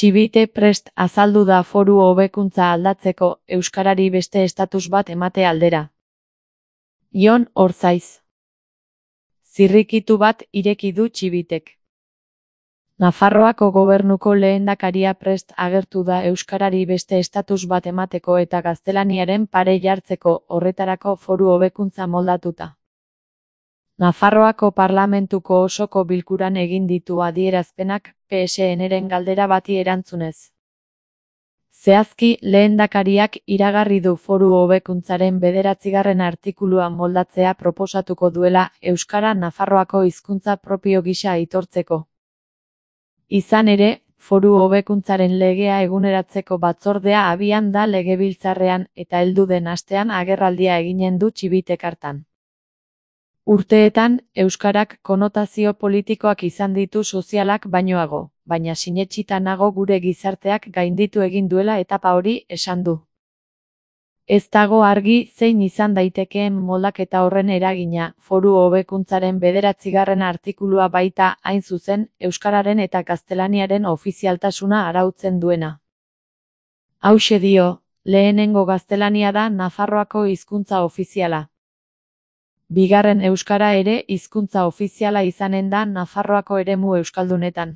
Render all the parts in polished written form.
Txibite prest azaldu da foru hobekuntza aldatzeko euskarari beste estatus bat emate aldera. Jon Orzaiz. Zirrikitu bat ireki du Txibitek. Nafarroako gobernuko lehendakaria prest agertu da euskarari beste estatus bat emateko eta gaztelaniaren pare jartzeko, horretarako foru hobekuntza moldatuta. Nafarroako parlamentuko osoko bilkuran egin ditu adierazpenak PSN-ren galdera bati erantzunez. Zehazki, lehendakariak iragarri du foru hobekuntzaren 9. artikulua moldatzea proposatuko duela euskara Nafarroako hizkuntza propio gisa aitortzeko. Izan ere, foru hobekuntzaren legea eguneratzeko batzordea abian da Legebiltzarrean eta heldu den astean agerraldia eginen du Txibitek hartan. Urteetan, euskarak konotazio politikoak izan ditu sozialak bainoago, baina sinetsita nago gure gizarteak gainditu egin duela etapa hori, esan du. Ez dago argi zein izan daitekeen moldaketa horren eragina, foru hobekuntzaren 9. artikulua baita, hain zuzen, euskararen eta gaztelaniaren ofizialtasuna arautzen duena. Hauxe dio, lehenengo gaztelania da Nafarroako hizkuntza ofiziala. Bigarren euskara ere hizkuntza ofiziala izanen da Nafarroako eremu euskaldunetan.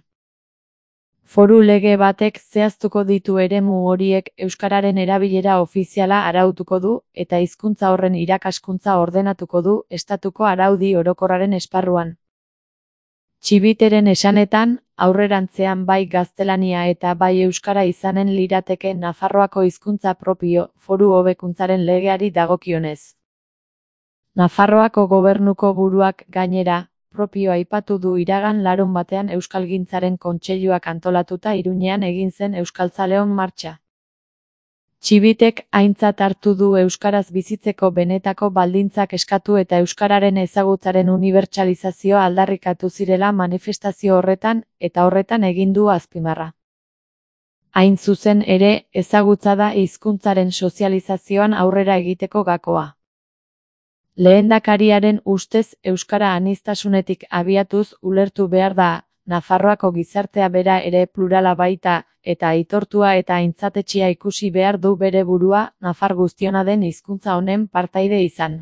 Foru lege batek zehaztuko ditu eremu horiek euskararen erabilera ofiziala arautuko du eta hizkuntza horren irakaskuntza ordenatuko du estatuko araudi orokorraren esparruan. Txibiteren esanetan, aurrerantzean bai gaztelania eta bai euskara izanen lirateke Nafarroako hizkuntza propio, foru hobekuntzaren legeari dagokionez. Nafarroako gobernuko buruak gainera, propio aipatu du iragan larunbatean Euskalgintzaren Kontseiluak antolatuta Iruñean egin zen Euskaltzaleon martxa. Txibitek aintzat hartu du euskaraz bizitzeko benetako baldintzak eskatu eta euskararen ezagutzaren unibertsalizazioa aldarrikatu zirela manifestazio horretan eta horretan egin du azpimarra. Hain zuzen ere, ezagutza da hizkuntzaren sozializazioan aurrera egiteko gakoa. Lehendakariaren ustez euskara aniztasunetik abiatuz ulertu behar da, Nafarroako gizartea bera ere plurala baita, eta aitortua eta aintzatetsia ikusi behar du bere burua, nafar guztiona den hizkuntza honen partaide izan.